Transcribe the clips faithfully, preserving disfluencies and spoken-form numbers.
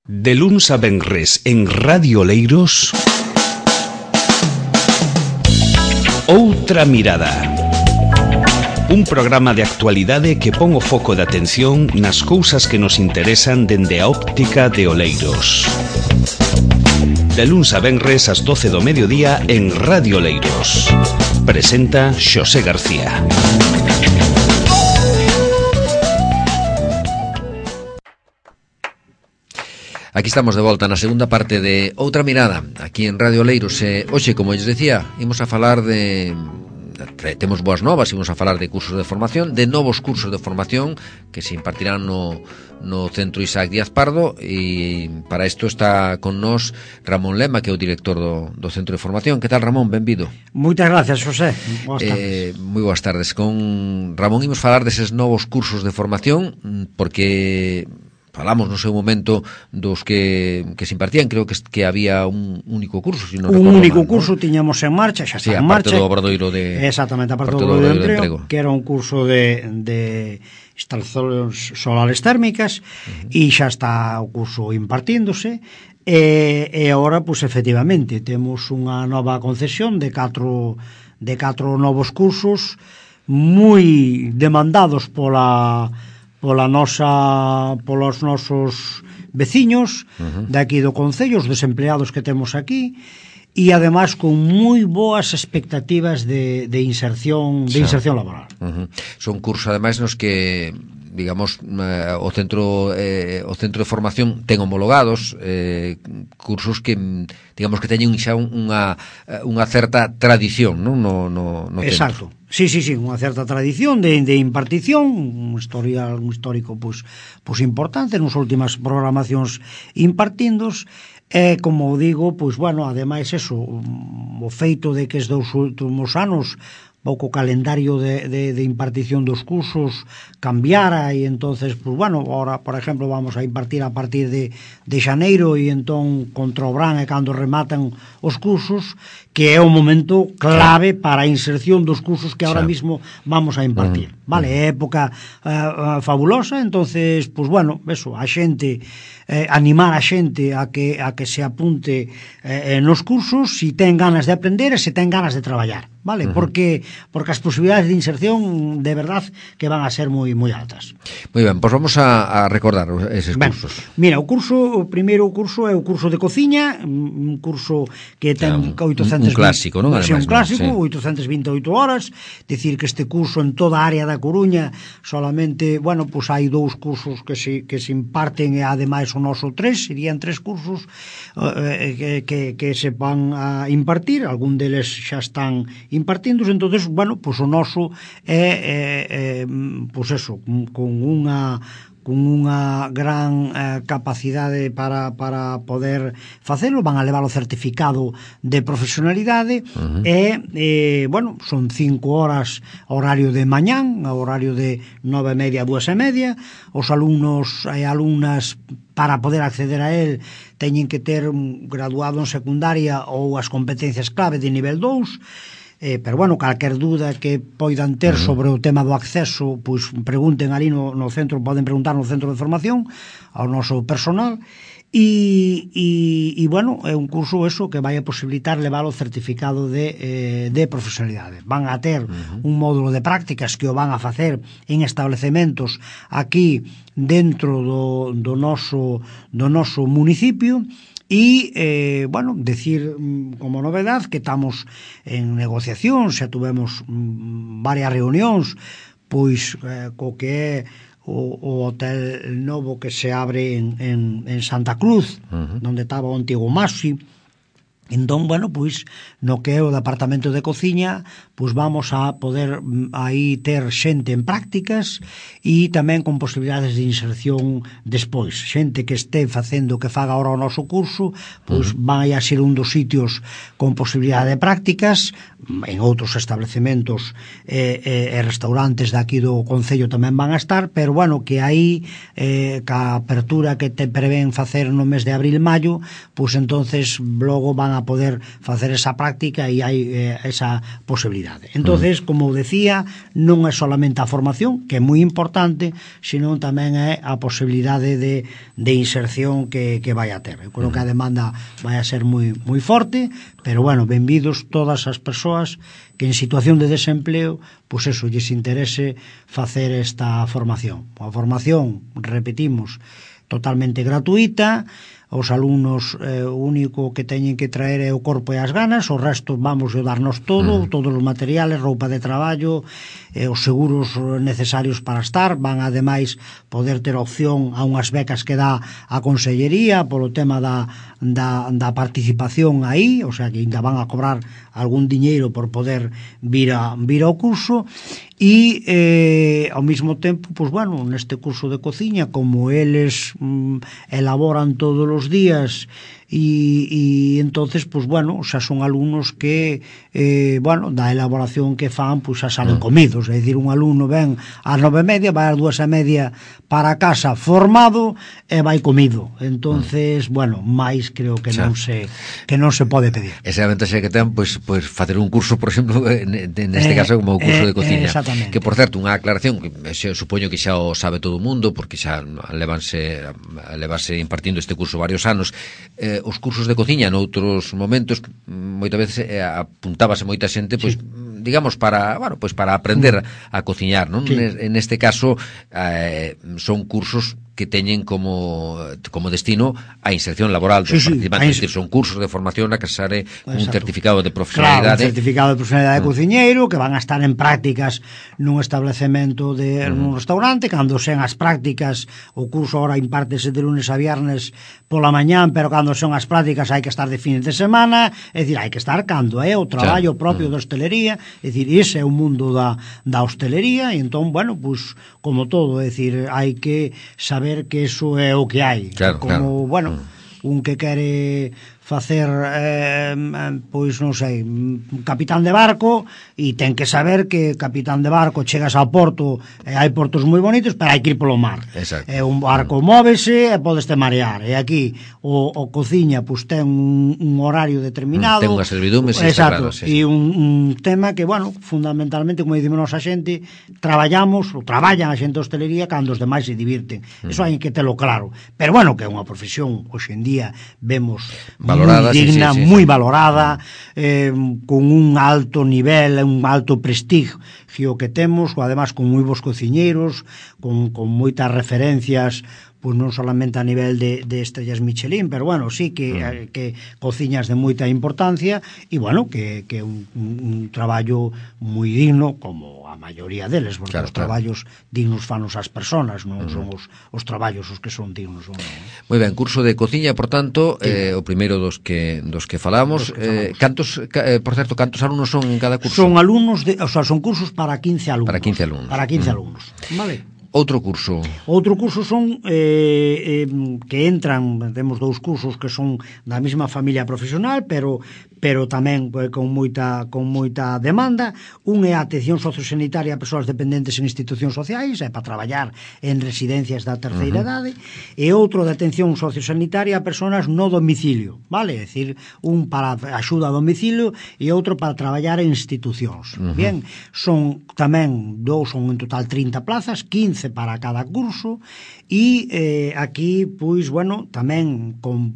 De luns a venres en Radio Oleiros, Outra Mirada. Un programa de actualidade que pon o foco de atención nas cousas que nos interesan dende a óptica de Oleiros. De luns a venres ás doce do mediodía en Radio Oleiros. Presenta Xosé García. Aquí estamos de volta na segunda parte de Outra Mirada, aquí en Radio Oleiros. E, hoxe, como lles decía, imos a falar de... Temos boas novas, imos a falar de cursos de formación, de novos cursos de formación que se impartirán no, no Centro Isaac Díaz Pardo, e para isto está con nós Ramón Lema, que é o director do, do Centro de Formación. Que tal, Ramón? Benvido. Moitas gracias, José. Boas Eh, tardes. moi boas tardes. Con Ramón imos falar deses novos cursos de formación, porque... falamos no seu momento dos que, que se impartían. Creo que, que había un único curso, si non un recordo único mal, curso, ¿no? tiñamos en marcha, xa Sí, está en aparte marcha. do obradoiro de... Exactamente, aparte do obradoiro de emprego, que era un curso de, de instalacións solares térmicas, uh-huh. E xa está o curso impartíndose. E, e agora, pois, efectivamente, temos unha nova concesión de catro, de catro novos cursos moi demandados pola... pola nosa, polos nosos veciños uh-huh. de aquí do Concello, os desempleados que temos aquí, e ademais con moi boas expectativas de, de inserción de inserción laboral. Uh-huh. Son cursos ademais nos que, digamos, eh, o centro eh, o centro de formación ten homologados eh, cursos que, digamos, que teñen xa unha unha certa tradición, non? No, no, no Exacto. Centro. Sí, sí, sí, unha certa tradición de, de impartición, un historial, un histórico pois, pois importante nas últimas programacións impartindos. E, como digo, pois, bueno, ademais eso, o feito de que estes dous últimos anos pouco calendario de, de, de impartición dos cursos cambiara, e entonces, pues bueno, ahora, por exemplo, vamos a impartir a partir de, de xaneiro, e entón contra o verán é cando rematan os cursos, que é o momento clave para a inserción dos cursos que ahora mismo vamos a impartir. Uh-huh. Vale, é época uh, fabulosa, entonces, pues bueno, eso, a xente, eh, animar a xente a que, a que se apunte eh, nos cursos, si ten ganas de aprender e se ten ganas de traballar. Vale, uh-huh. porque porque as posibilidades de inserción de verdad que van a ser moi moi altas. Moi ben, pois vamos a, a recordar eses ben, cursos. Mira, o curso, o primeiro curso é o curso de cociña, un curso que ten un, oitocentos un clásico, non? Sí, un clásico, sí. oitocentas vinte e oito horas, decir que este curso en toda a área da Coruña solamente, bueno, pois hai dous cursos que se que se imparten, e ademais o noso tres, serían tres cursos eh, que, que, que se van a impartir, algún deles xa están impartidos. Entonces, bueno, pois o noso é, é, é pois eso, con unha con unha gran eh, capacidade para, para poder facelo, van a levar o certificado de profesionalidade. Uh-huh. e, eh, bueno, son cinco horas horario de mañán, horario de nove e media a dúas e media. Os alumnos e alumnas, para poder acceder a él, teñen que ter un graduado en secundaria ou as competencias clave de nivel dous. Eh, pero bueno, calquer dúda que poidan ter uh-huh. sobre o tema do acceso, pois pregunten ali no, no centro, poden preguntar no centro de formación ao noso personal. E, e, e bueno, é un curso eso que vai a posibilitar levar o certificado de, eh, de profesionalidade. Van a ter uh-huh. un módulo de prácticas que o van a facer en establecementos aquí dentro do, do noso do noso municipio. E, eh, bueno, decir como novedad que estamos en negociación, xa tuvemos mm, varias reunións, pois eh, co que é o, o hotel novo que se abre en, en, en Santa Cruz, uh-huh. donde estaba o antigo Masi. Entón, bueno, pois, no que é o departamento de cociña, pois vamos a poder aí ter xente en prácticas e tamén con posibilidades de inserción despois. Xente que este facendo, que faga ahora o noso curso, pois uh-huh. vai a ser un dos sitios con posibilidade de prácticas. En outros establecementos e, e, e restaurantes daqui do Concello tamén van a estar, pero bueno, que aí eh, ca apertura que te prevén facer no mes de abril-maio, pois entonces logo van van a poder facer esa práctica e hai eh, esa posibilidade. Entonces, como decía, non é solamente a formación, que é moi importante, senón tamén é a posibilidade de, de inserción que, que vai a ter. Eu creo que a demanda vai a ser moi, moi forte, pero bueno, benvidos todas as persoas que en situación de desempleo, pois eso, lles interese facer esta formación. A formación, repetimos, totalmente gratuita. Os alumnos eh, o único que teñen que traer é o corpo e as ganas, o resto vamos a darnos todo, mm. todos os materiales, roupa de traballo, eh, os seguros necesarios para estar, van ademais poder ter opción a unhas becas que dá a Consellería polo tema da, da, da participación aí, o sea que ainda van a cobrar algún diñeiro por poder vir, a, vir ao curso. E eh, ao mesmo tempo, pois bueno, neste curso de cociña, como eles mm, elaboran todos os días e, e entonces, pois bueno, xa son alumnos que eh, bueno, da elaboración que fan, pois xa salen comidos, é dicir, un alumno ven ás nove e media, vai ás dúas e media para casa formado e vai comido. Entonces, bueno, máis creo que non se que non se pode pedir. Esa é a ventaxa que ten, pois, pois facer un curso, por exemplo, neste eh, caso como o curso eh, de cociña. Eh, que, por certo, unha aclaración que xe, supoño que xa o sabe todo o mundo, porque xa levanse levase impartindo este curso varios anos. Eh, os cursos de cociña noutros momentos moitas veces eh, apuntábase moita xente, pois, sí, digamos, para, bueno, pois para aprender a cociñar, non? Sí. En este caso eh, son cursos que teñen como como destino a inserción laboral dos sí, participantes, sí, decir, son cursos de formación a que sare un certificado de profesionalidade. Claro, un certificado de profesionalidade de mm. cociñeiro, que van a estar en prácticas nun establecemento de mm. nun restaurante, cando sean as prácticas, o curso ahora impártese de lunes a viernes pola mañán, pero cando son as prácticas hai que estar de fines de semana, é dicir, hai que estar cando é o traballo claro. propio mm. da hostelería, é dicir, ese é o mundo da, da hostelería, e entón, bueno, pues, como todo, é dicir, hai que saber que eso é o que hai. Claro, como, claro. bueno, un que quere facer, eh, pois non sei, capitán de barco, e ten que saber que capitán de barco chegas ao porto, e hai portos moi bonitos, pero hai que ir polo mar. Exacto. E un barco móvese e podes te marear. E aquí o, o cociña pois ten un, un horario determinado. Ten unha servidume, sí, exacto, claro, sí, sí. E un, un tema que, bueno, fundamentalmente, como dicimos nosa xente, traballamos, ou traballan a xente de hostelería cando os demais se divirten. Mm. Eso hai que telo claro. Pero, bueno, que é unha profesión, hoxe en día, vemos valorada, moi digna, sí, sí, sí, moi sí. valorada, eh, con un alto nivel, un alto prestigio que temos, además con moi bons cociñeiros, con, con moitas referencias, pois non solamente a nivel de, de estrellas Michelin, pero bueno, sí que, mm. que cociñas de moita importancia, e bueno, que, que un, un, un traballo moi digno, como a maioría deles, porque claro, os traballos claro. dignos fanos as persoas, non mm. son os, os traballos os que son dignos. Non? Moi ben, curso de cociña, por tanto, sí. eh, o primeiro dos que dos que falamos, dos que eh, cantos, eh, por certo, cantos alumnos son en cada curso? Son alumnos, de, o sea, son cursos para quince alumnos. Para quince alumnos. Para quince mm. alumnos, vale? Outro curso. Outro curso son eh, eh, que entran, temos dous cursos que son da mesma familia profesional, pero pero tamén eh, con moita con moita demanda. Un é a atención sociosanitaria a persoas dependentes en institucións sociais, é para traballar en residencias da terceira uh-huh. idade, e outro de atención sociosanitaria a persoas no domicilio, vale? É dicir, un para axuda a domicilio e outro para traballar en institucións. Uh-huh. Bien, son tamén dous, son en total trinta plazas, quince para cada curso, e eh, aquí, pois, bueno, tamén con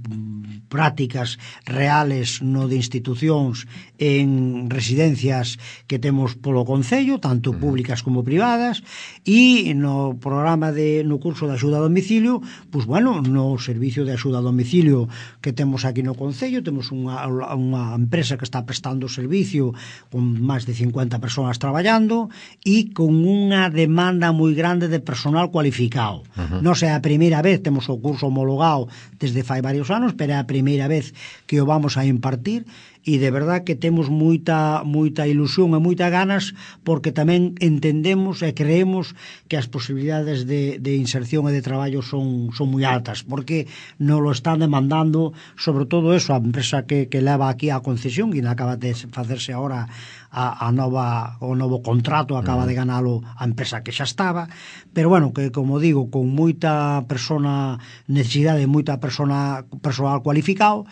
prácticas reales no de institucións en residencias que temos polo Concello, tanto públicas como privadas, e no programa de no curso de axuda a domicilio, pois, bueno, no servicio de axuda a domicilio que temos aquí no Concello, temos unha, unha empresa que está prestando servicio con máis de cincuenta persoas traballando e con unha demanda moi grande de personal cualificado. Uh-huh. Non sei, a primeira vez temos o curso homologado desde fai varios anos, pero é a primeira vez que o vamos a impartir, e de verdad que temos moita moita ilusión e moita ganas, porque tamén entendemos e creemos que as posibilidades de, de inserción e de traballo son, son moi altas, porque nos lo están demandando, sobre todo eso, a empresa que, que leva aquí a concesión, e acaba de facerse agora a, a nova, o novo contrato, acaba de ganalo a empresa que xa estaba, pero bueno, que como digo, con moita persona, necesidade de moita persona, personal cualificado,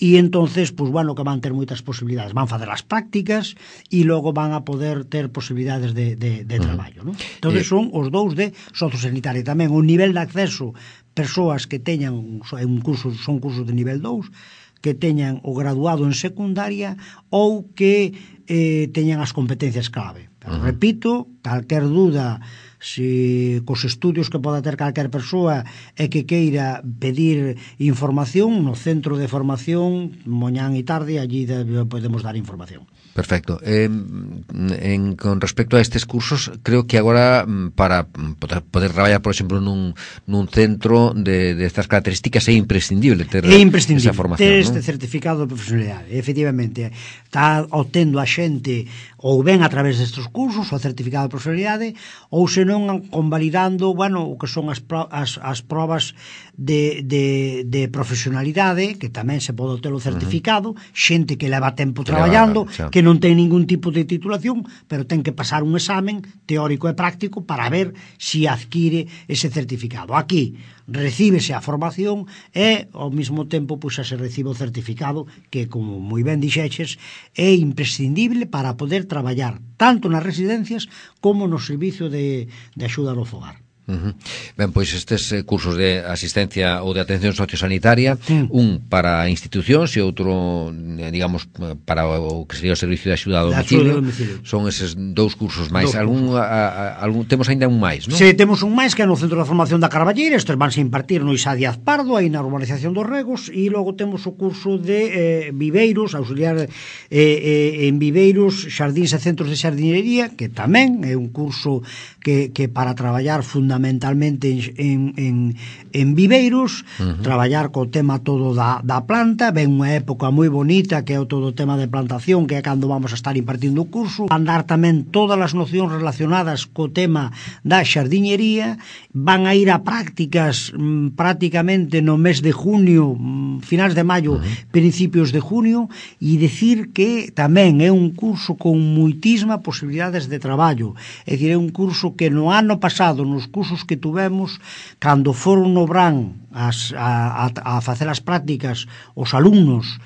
e entonces, pues bueno, que van ter moitas posibilidades, van facer as prácticas e logo van a poder ter posibilidades de, de, de traballo, ¿no? Entonces son os dous de sociosanitaria. Tamén o nivel de acceso, persoas que teñan un curso, son cursos de nivel dous, que teñan o graduado en secundaria ou que eh, teñan as competencias clave. Pero, uh-huh. repito, calquer duda, se cos estudios que poda ter calquer persoa e que queira pedir información no centro de formación, mañán e tarde, allí podemos dar información. Perfecto. Eh, en, con respecto a estes cursos, creo que agora para poder, poder traballar, por exemplo, nun, nun centro de, de estas características é imprescindible ter é imprescindible esa formación, ter este ¿no? certificado de profesionalidade. Efectivamente, está obtendo a xente ou ben a través destes cursos o certificado de profesionalidade, ou senón convalidando, bueno, o que son as, pro, as, as probas de, de, de profesionalidade, que tamén se pode ter o certificado, uh-huh. xente que leva tempo que traballando, leva, que non ten ningún tipo de titulación, pero ten que pasar un examen teórico e práctico para ver si adquire ese certificado. Aquí recíbese a formación e ao mesmo tempo pois, se recibe o certificado, que, como moi ben dixeches, é imprescindible para poder traballar tanto nas residencias como no servicio de, de axuda ao fogar. Uh-huh. Ben, pois estes eh, cursos de asistencia ou de atención sociosanitaria, mm. un para institucións e outro, eh, digamos, para o que sería o servicio de axuda a domicilio, domicilio. Son eses dous cursos máis. Dous algún, cursos. A, a, algún, temos ainda un máis, non? Sí, temos un máis que é no Centro de Formación da Carballeira. Estes vanse impartir no Isa Díaz Pardo, aí na urbanización dos Regos, e logo temos o curso de eh, viveiros, auxiliar eh, eh, en viveiros, xardíns e centros de xardinería, que tamén é un curso que, que para traballar fundamentalmente fundamentalmente en, en, en viveiros, uh-huh. traballar co tema todo da, da planta. Ven unha época moi bonita que é o todo o tema de plantación, que é cando vamos a estar impartindo o curso. Van dar tamén todas as nocións relacionadas co tema da xardiñería. Van a ir a prácticas mmm, prácticamente no mes de junio, mmm, finais de maio, uh-huh. principios de junio, e dicir que tamén é un curso con moitísima posibilidades de traballo. É dicir, é un curso que no ano pasado, nos cursos que tuvemos, cando foron no Brán as, a, a, a facer as prácticas os alumnos,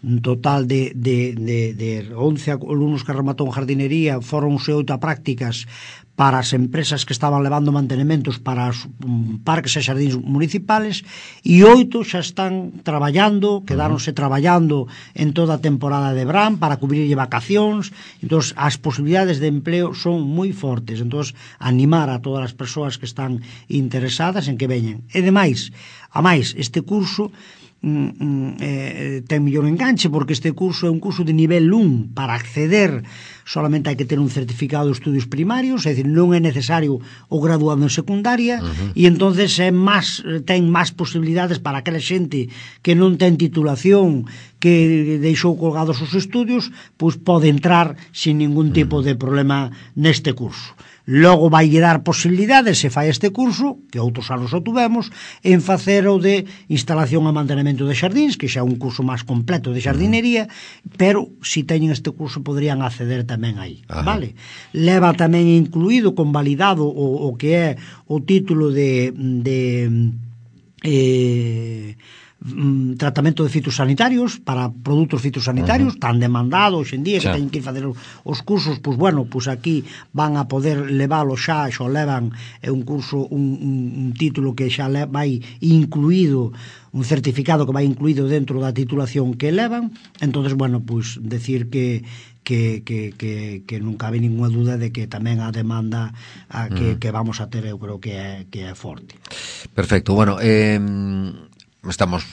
un total de, de, de, de once alumnos que rematou en jardinería, foron oito a prácticas para as empresas que estaban levando mantenementos para os um, parques e xardíns municipales, e oito xa están traballando, quedáronse traballando en toda a temporada de verán para cubrirlle vacacións. Entón, as posibilidades de empleo son moi fortes. Entón, animar a todas as persoas que están interesadas en que veñen. E demais, a máis, este curso eh, ten mellor enganche, porque este curso é un curso de nivel un. Para acceder solamente hai que ter un certificado de estudios primarios, é dicir, non é necesario o graduado en secundaria, uh-huh. e entonces é máis, ten máis posibilidades para aquela xente que non ten titulación, que deixou colgados os estudios, pois pode entrar sin ningún tipo de problema neste curso. Logo vai dar posibilidades, se fai este curso, que outros anos o tuvemos, en facer o de instalación e mantenimento de xardíns, que xa é un curso máis completo de xardinería, pero se teñen este curso poderían acceder tamén aí. Ajá. Vale? Leva tamén incluído, convalidado, o, o que é o título de... de eh, tratamento de fitosanitarios para produtos fitosanitarios, uh-huh. tan demandado hoxe en día, que xa. Teñen que ir fazer os cursos, pois bueno, pois aquí van a poder leválo xa, xa levan é un curso, un, un, un título que xa le, vai incluído, un certificado que vai incluído dentro da titulación que levan. Entonces, bueno, pois decir que que, que, que, que non cabe ninguna duda de que tamén a demanda a que, uh-huh. que vamos a ter, eu creo que é, que é forte. Perfecto, bueno, eh... estamos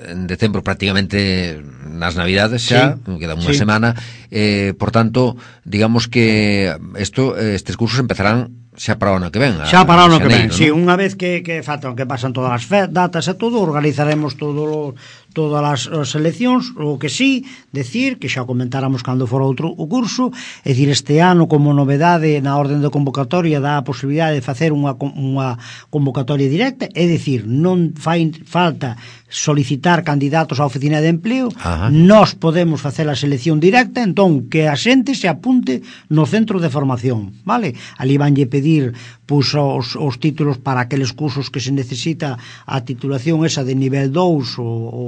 en decembro, prácticamente nas Navidades xa, sí, queda unha sí. semana, eh, por tanto, digamos que esto, estes cursos empezarán xa para o ano que ven. Xa para o ano que ven, ¿no? Sí, unha vez que, que, faltan, que pasan todas as datas e todo, organizaremos todo todas as, as seleccións. O que sí, decir, que xa comentáramos cando fora outro o curso, é dicir, este ano como novedade na orden de convocatoria dá a posibilidade de facer unha, unha convocatoria directa, é dicir, non fai falta solicitar candidatos á oficina de empleo. Ajá. Nós podemos facer a selección directa, entón que a xente se apunte no centro de formación, vale? Ali vanlle pedir pois, os, os títulos para aqueles cursos que se necesita a titulación esa de nivel dous o, o,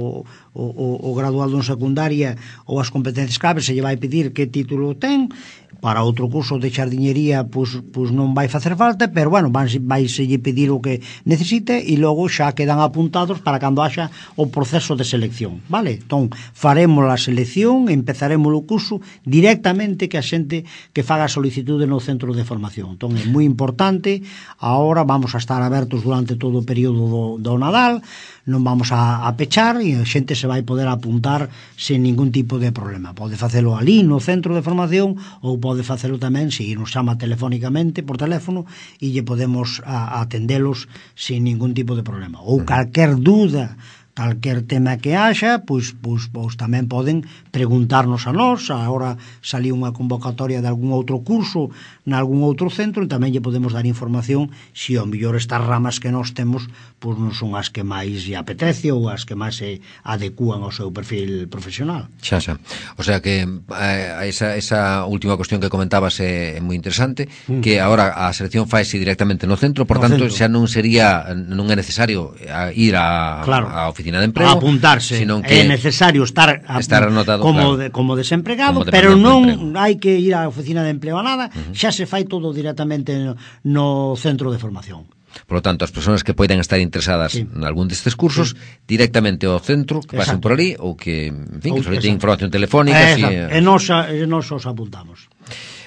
o, o graduado en secundaria ou as competencias claves, se lle vai pedir que título ten. Para outro curso de xardiñería pois, pois non vai facer falta, pero bueno, vai, vai se lle pedir o que necesite e logo xa quedan apuntados para cando haxa o proceso de selección, vale? Entón, faremos a selección, empezaremos o curso directamente que a xente que faga a solicitude no centro de formación. Entón, é moi importante, ahora vamos a estar abertos durante todo o período do, do Nadal, non vamos a, a pechar e a xente se vai poder apuntar sen ningún tipo de problema. Pode facelo ali no centro de formación ou pode facelo tamén se nos chama telefónicamente por teléfono e lle podemos a, a atendelos sen ningún tipo de problema. Ou calquer dúda, calquer tema que haxa, pois, pois, pois tamén poden preguntarnos a nós. Agora saliu unha convocatoria de algún outro curso nalgún outro centro e tamén lle podemos dar información se ao mellor estas ramas que nós temos pois non son as que máis lle apetece ou as que máis se adecúan ao seu perfil profesional. Xa, xa. O sea que eh, esa, esa última cuestión que comentabas é, é moi interesante, mm. que agora a selección faise directamente no centro, por no tanto centro. Xa non sería, non é necesario ir a, claro. a oficina de emprego, a apuntarse, sino que é necesario estar, a, estar anotado como, claro. de, como desempregado, como pero non hai que ir á oficina de emprego a nada, uh-huh. xa se fai todo directamente no, no centro de formación. Por lo tanto, as persoas que poidan estar interesadas sí. en algún destes cursos, sí. directamente ao centro, que pasen por ali, ou que, en fin, que soliciten información telefónica. Si, e nos, nos os apuntamos.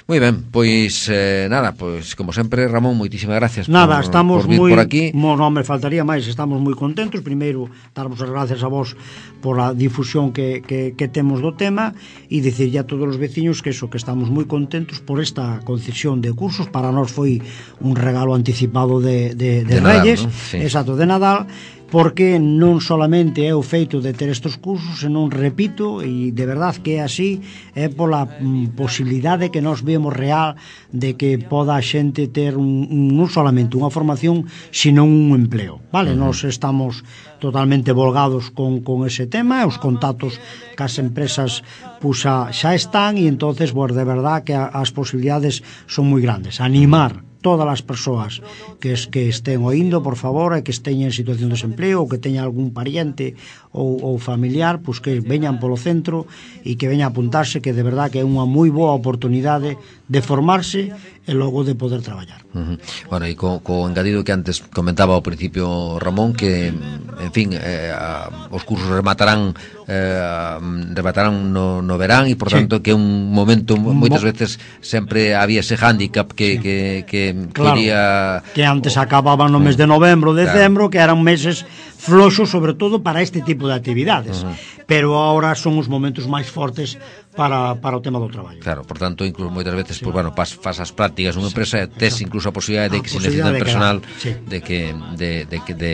Moi ben, pois eh, nada, pois como sempre, Ramón, moitísimas gracias nada, por, estamos por vir muy, por aquí. No, non me faltaría máis, estamos moi contentos. Primeiro, darvos as gracias a vos por a difusión que, que, que temos do tema e dicirlle a todos os veciños que eso, que estamos moi contentos por esta concesión de cursos. Para nós foi un regalo anticipado de, de, de, de Reyes, Nadal, ¿no? Sí. Exacto, de Nadal, porque non solamente é o feito de ter estes cursos, senón, repito, e de verdad que é así, é pola mm, posibilidade que nós vemos real de que poda a xente ter un, un, non solamente unha formación, senón un empleo, vale? Uh-huh. Nós estamos totalmente volgados con, con ese tema, os contactos cas empresas pues, a, xa están, e entonces, pues, de verdad que a, as posibilidades son moi grandes. Animar todas as persoas que, es, que estén oindo, por favor, e que estén en situación de desempleo ou que teñan algún pariente ou, ou familiar, pois que veñan polo centro e que veñan a apuntarse, que de verdad que é unha moi boa oportunidade de formarse e logo de poder traballar. Uh-huh. Bueno, e co, co engadido que antes comentaba ao principio Ramón, que, en fin, eh, a, os cursos rematarán eh, rematarán no, no verán e, por sí. tanto, que é un momento, moitas veces sempre había ese hándicap que, sí. que, que claro, quería... que antes acababan no mes de novembro, decembro, claro. que eran meses floxos, sobre todo para este tipo de actividades. Uh-huh. Pero ahora son os momentos máis fortes para, para o tema do traballo. Claro, por tanto, incluso moitas veces, sí. pues, bueno, pas, pas as prácticas nunha sí, empresa, tes incluso a posibilidade de que se necesita personal sí. de que de, de, de, de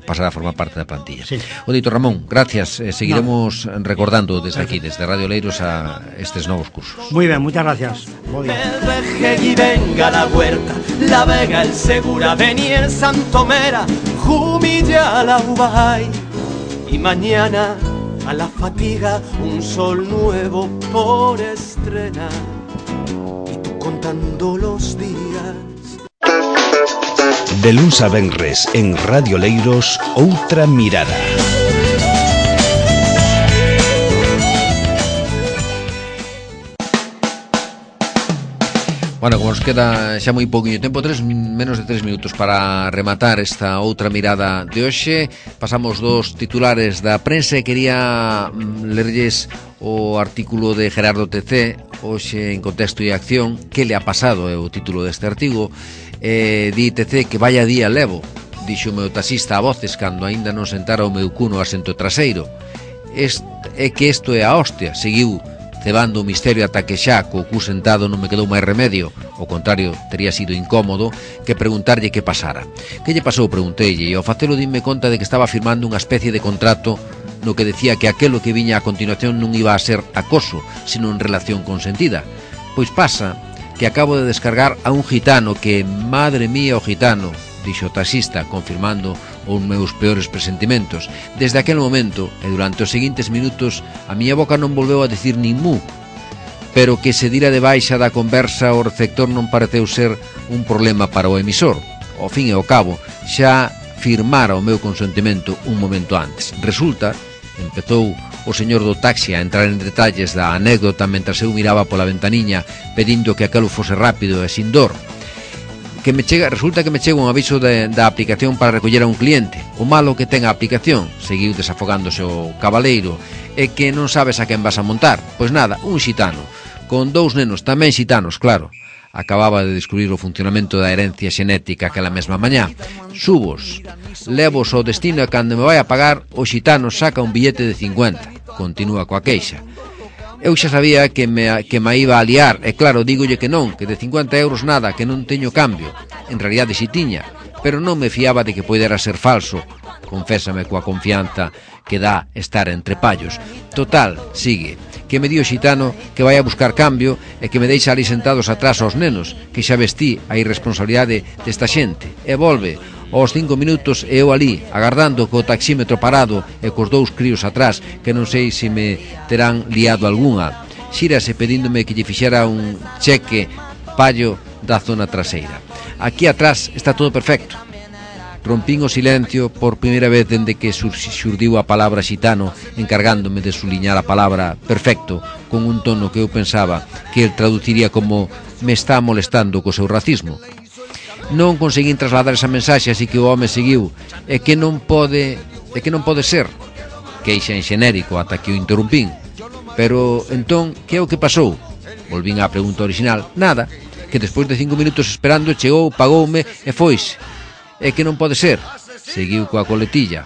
pasar a formar parte da plantilla. Sí. O dito, Ramón, gracias. Eh, seguiremos no. recordando desde aquí, desde Radio Oleiros, a estes novos cursos. Muy bien, muchas gracias. El Rejegui, venga la huerta, la Vega, el Segura, Beniel, Santomera, Jumilla, la Ubay, y mañana a la fatiga un sol nuevo por estrenar, y tú contando los días. De luns a venres en Radio Oleiros, outra mirada. Bueno, como nos queda xa moi pouquinho tempo, tres, menos de tres minutos para rematar esta outra mirada de hoxe, pasamos dos titulares da prensa e quería lerlles o artículo de Gerardo T C, hoxe en Contexto e Acción. Que le ha pasado é o título deste artigo. Eh, di T C que vaya día levo, dixo o meu taxista a voces cando aínda non sentara o meu cuno asento traseiro. Est, é que isto é a hostia, seguiu cebando o misterio ata que xa, co cu sentado, non me quedou máis remedio. Ao contrario, tería sido incómodo que preguntarlle que pasara. Que lle pasou, pregunteille, e ao facelo dime conta de que estaba firmando unha especie de contrato no que decía que aquelo que viña a continuación non iba a ser acoso, sino en relación consentida. Pois pasa que acabo de descargar a un gitano que, madre mía, o gitano, dixo o taxista, confirmando os meus peores presentimentos. Desde aquel momento, e durante os seguintes minutos, a miña boca non volveu a decir nin mu, pero que se dira de baixa da conversa o receptor non pareceu ser un problema para o emisor. Ao fin e ao cabo, xa firmara o meu consentimento un momento antes. Resulta, empezou o señor do taxi a entrar en detalles da anécdota mentras eu miraba pola ventaniña pedindo que aquelo fose rápido e sin dor, que me chega, resulta que me chega un aviso de, da aplicación para recoller a un cliente. O malo que ten a aplicación, seguiu desafogándose o cabaleiro, é que non sabes a quen vas a montar. Pois nada, un xitano, con dous nenos tamén xitanos, claro. Acababa de descubrir o funcionamento da herencia xenética aquela mesma mañá. Subos, levos ao destino e cando me vai a pagar, o xitano saca un billete de cincuenta. Continúa coa queixa. Eu xa sabía que me, que me iba a liar, e claro, dígolle que non, que de cincuenta euros nada, que non teño cambio. En realidade si tiña, pero non me fiaba de que poidera ser falso. Confésame coa confianza que dá estar entre pallos. Total, sigue, que me dio xitano que vai a buscar cambio e que me deixa ali sentados atrás aos nenos, que xa vestí a irresponsabilidade desta xente. E volve, aos cinco minutos e eu ali, agardando co taxímetro parado e cos dous críos atrás, que non sei se me terán liado algunha. Xírase pedíndome que lle fixera un cheque pallo da zona traseira. Aquí atrás está todo perfecto. Rompín o silencio por primeira vez dende que xurdiu a palabra xitano, encargándome de suliñar a palabra perfecto con un tono que eu pensaba que el traduciría como me está molestando co seu racismo. Non conseguín trasladar esa mensaxe, así que o home seguiu. É que non pode, é que non pode ser. Queixa en xenérico ata que o interrumpín. Pero entón, que é o que pasou? Volvín á pregunta original. Nada, que despois de cinco minutos esperando chegou, pagoume e foise. É que non pode ser. Seguiu coa coletilla.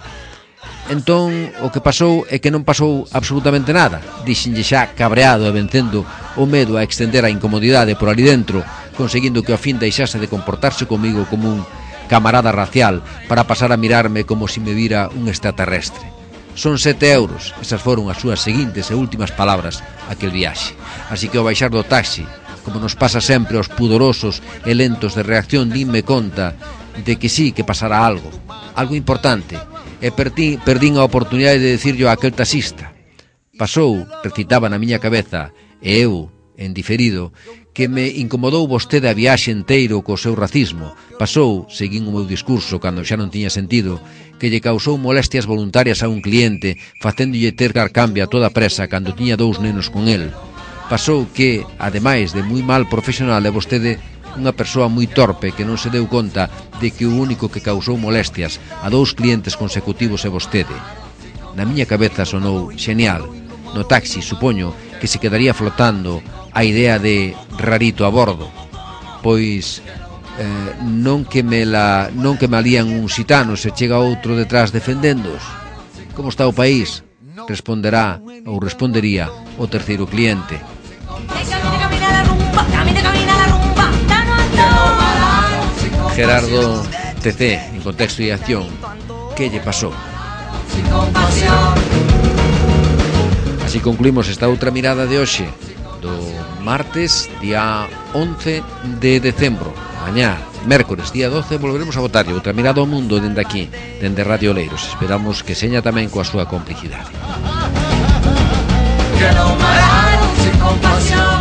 Entón, o que pasou é que non pasou absolutamente nada. Dixenlle xa cabreado e vencendo o medo a extender a incomodidade por ali dentro, conseguindo que ao fin deixase de comportarse comigo como un camarada racial para pasar a mirarme como si me vira un extraterrestre. Son sete euros, esas foron as súas seguintes e últimas palabras aquel viaxe. Así que ao baixar do taxi, como nos pasa sempre aos pudorosos e lentos de reacción, dime conta de que sí, que pasará algo, algo importante, e perdín, perdín a oportunidade de decirlo a aquel taxista. Pasou, recitaba na miña cabeza, e eu, en diferido, que me incomodou vostede a viaxe inteiro co seu racismo. Pasou, seguín o meu discurso cando xa non tiña sentido, que lle causou molestias voluntarias a un cliente, facéndolle ter dar cambio a toda presa cando tiña dous nenos con el. Pasou que, ademais de moi mal profesional, é vostede unha persoa moi torpe que non se deu conta de que o único que causou molestias a dous clientes consecutivos é vostede. Na miña cabeza sonou xenial. No taxi, supoño, que se quedaría flotando a idea de rarito a bordo. Pois eh, non que me la non que me alían un xitano se chega outro detrás defendéndoos. Como está o país? Responderá ou respondería o terceiro cliente. Gerardo T C, en Contexto y Acción. Que lle pasou? Así concluímos esta outra mirada de hoxe, do martes, día once de decembro. Mañá, mércores, día doce, volveremos a votar outra mirada ao mundo dende aquí, dende Radio Oleiros. Esperamos que seña tamén coa súa complicidade. Que non pararon sin compasión.